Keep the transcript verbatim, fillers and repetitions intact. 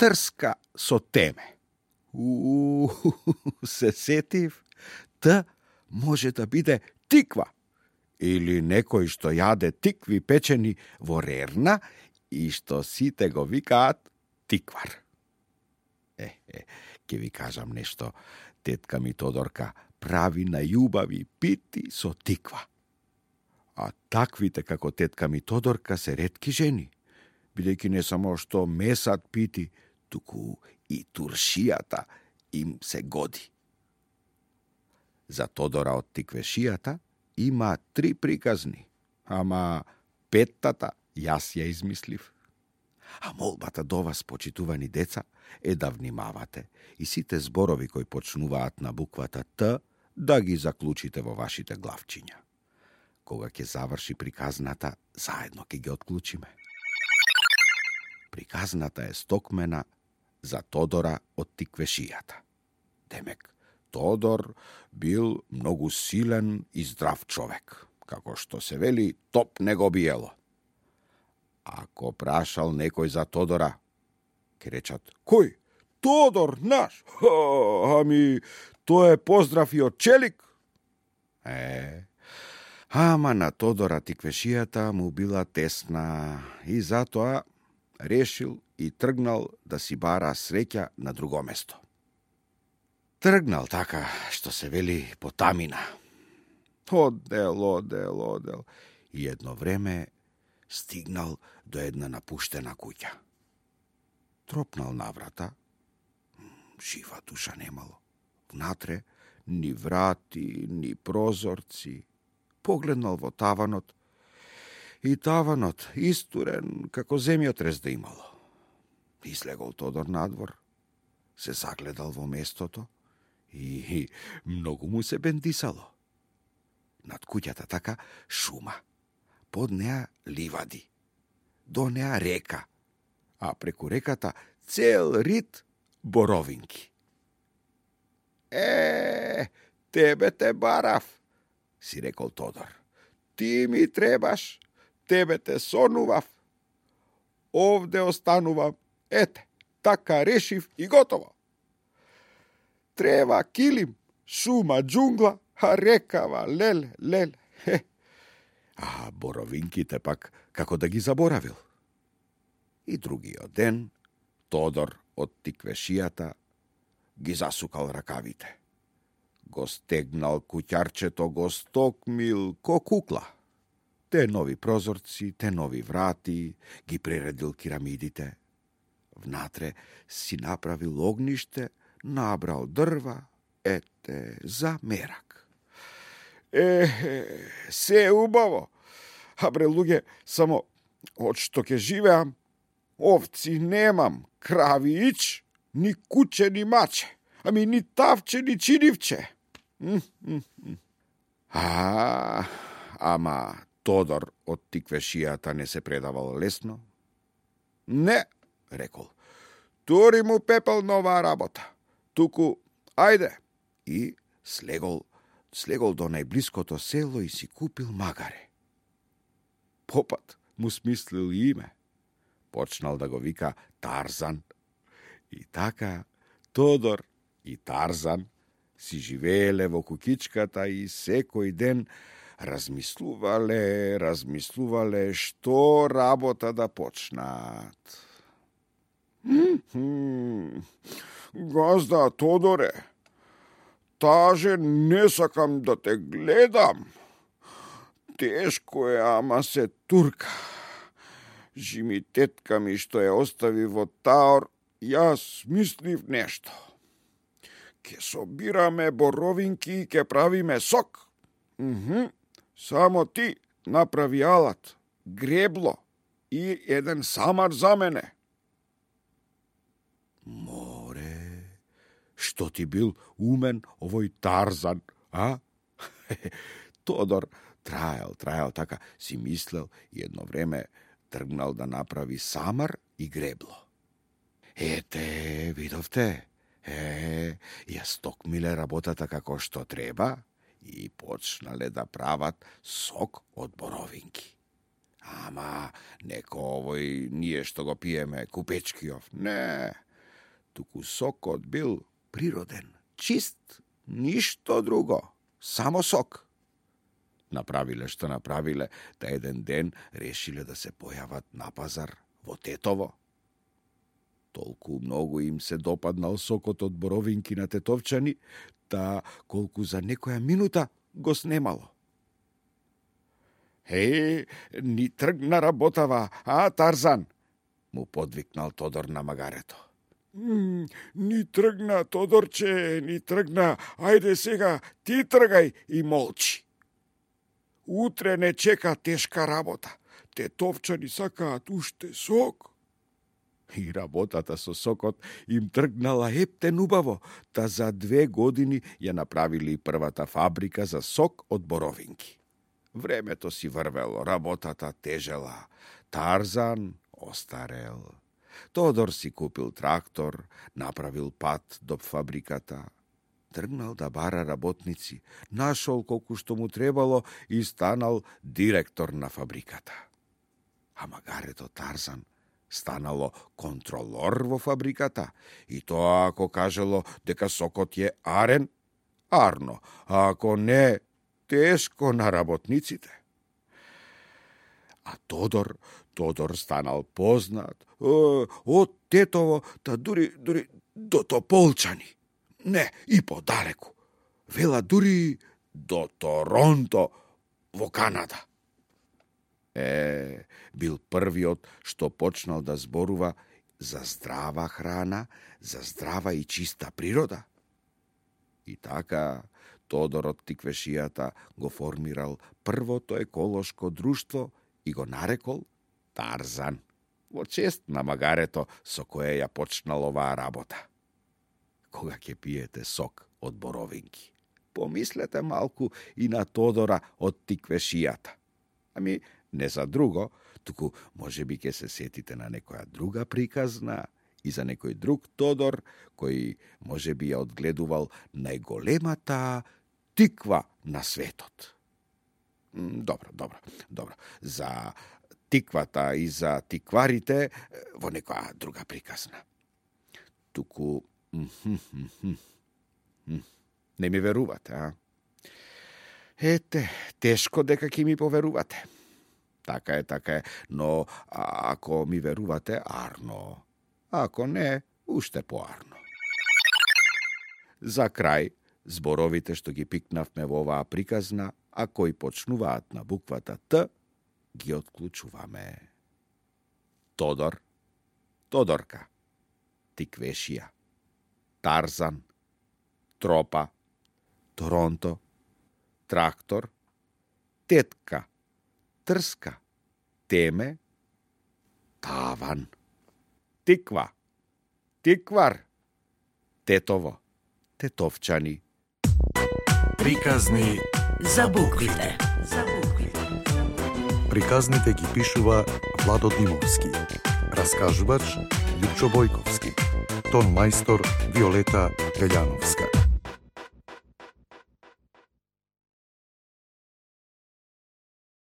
трска со теме. У, се сетив, т може да биде тиква или некој што јаде тикви печени во рерна и што сите го викаат тиквар. Е, е, ќе ви кажам нешто. Тетка ми Тодорка прави најубави пити со тиква. А таквите како тетка ми Тодорка се ретки жени, бидејќи не само што месат пити, туку и туршијата им се годи. За Тодора од тиквешијата има три приказни, ама петтата јас ја измислив. А молбата до вас, почитувани деца, е да внимавате и сите зборови кои почнуваат на буквата Т да ги заклучите во вашите главчиња. Кога ќе заврши приказната, заедно ќе ги отклучиме. Приказната е стокмена за Тодора од тиквешијата. Демек, Тодор бил многу силен и здрав човек, како што се вели, топ не го биело. Ако прашал некој за Тодора, ке речат: кој? Тодор наш? Ха, ами, тој е поздрав и од челик. Е, ама на Тодора тиквешијата му била тесна и затоа решил и тргнал да си бара среќа на друго место. Тргнал така, што се вели, по тамина. Одел, одел, одел. И едно време стигнал до една напуштена куќа. Тропнал на врата. Жива душа немало. Внатре ни врати, ни прозорци. Погледнал во таванот. И таванот истурен како земјотрес да имало. Излегол Тодор надвор. Се загледал во местото и многу му се бендисало. Над куќата така шума. Под неа ливади. До неа река. А преку реката цел рид боровинки. Е, тебе те барав, си рекол Тодор. Ти ми требаш, тебе те сонував. Овде останувам, ете, така решив и готово. Трева килим, шума джунгла, а рекава леле, леле. Хе. А боровинките пак како да ги заборавил. И другиот ден Тодор од тиквешијата ги засукал ракавите. Го стегнал куќарчето, го стокмил ко кукла. Те нови прозорци, те нови врати, ги прередил кирамидите. Внатре си направил огниште, набрал дрва, ете, за мерак. Е, се е убаво. А бре, луѓе, само од што ќе живеам, овци немам, крави ич, ни куче, ни маче, ами ни тавче, ни чинивче. А, ама Тодор од тиквешијата не се предавал лесно. Не, рекол, тори му пепел на оваа работа. Туку, ајде. И слегол, слегол до најблиското село и си купил магаре. Попат му смислил име. Почнал да го вика Тарзан. И така Тодор и Тарзан си живееле во куќичката и секој ден размислувале, размислувале што работа да почнат. Газда Тодоре, таже не сакам да те гледам. Тешко е, ама се турка. Жими тетка ми што ја остави во таор, јас мислив нешто. Ке собираме боровинки и ке правиме сок. Мхм. Само ти направи алат, гребло и еден самар за мене. Море, што ти бил умен овој Тарзан, а? Тодор траел, траел така, си мислел и едно време тргнал да направи самар и гребло. Ете, видовте, е, ја стокмиле работата како што треба и почнале да прават сок од боровинки. Ама, неко овој ние што го пиеме купечкиов, не, туку сокот бил природен, чист, ништо друго, само сок. Направиле што направиле, та еден ден решиле да се појават на пазар во Тетово. Толку многу им се допаднал сокот од боровинки на тетовчани, та колку за некоја минута го снемало. Е, ни тргна работава, а, Тарзан? Му подвикнал Тодор на магарето. Mm, ни тргна, Тодорче, ни тргна. Ајде сега, ти тргај и молчи. Утре не чека тешка работа. Тетовчани сакаат уште сок. И работата со сокот им тргнала ептен убаво, та за две години ја направили првата фабрика за сок од боровинки. Времето си врвело, работата тежела. Тарзан остарел. Тодор си купил трактор, направил пат до фабриката. Тргнал да бара работници, нашол колку што му требало и станал директор на фабриката. А магарето Тарзан станало контролор во фабриката и тоа ако кажело дека сокот е арен, арно, а ако не, тешко на работниците. А Тодор, Тодор станал познат о, од Тетово, та дури, дури до Тополчани. Не, и подалеку. Вела дури до Торонто во Канада. Е, бил првиот што почнал да зборува за здрава храна, за здрава и чиста природа. И така Тодор од Тиквешијата го формирал првото еколошко друштво и го нарекол Тарзан, во чест на магарето со кое ја почнал оваа работа. Кога ќе пиете сок од боровинки, помислете малку и на Тодора од Тиквешијата. Ами, не за друго, туку може би ќе се сетите на некоја друга приказна и за некој друг Тодор, кој може би ја одгледувал најголемата тиква на светот. Добро, добро, добро. За тиквата и за тикварите во некоја друга приказна. Туку не ми верувате, а? Ете, тешко дека ќе ми поверувате. Така е, така е, но ако ми верувате, арно. Ако не, уште поарно. За крај, зборовите што ги пикнавме во оваа приказна, а кои почнуваат на буквата Т, ги отклучуваме. Тодор, Тодорка, Тиквешија, Тарзан, Тропа, Торонто, Трактор, Тетка, Трска, Теме, Таван, Тиква, Тиквар, Тетово, Тетовчани. Приказни за буквите. За буквите. Приказните ги пишува Владо Димовски. Раскажувач Лјупчо Бојковски. Тон мајстор Виолета Гаљановска.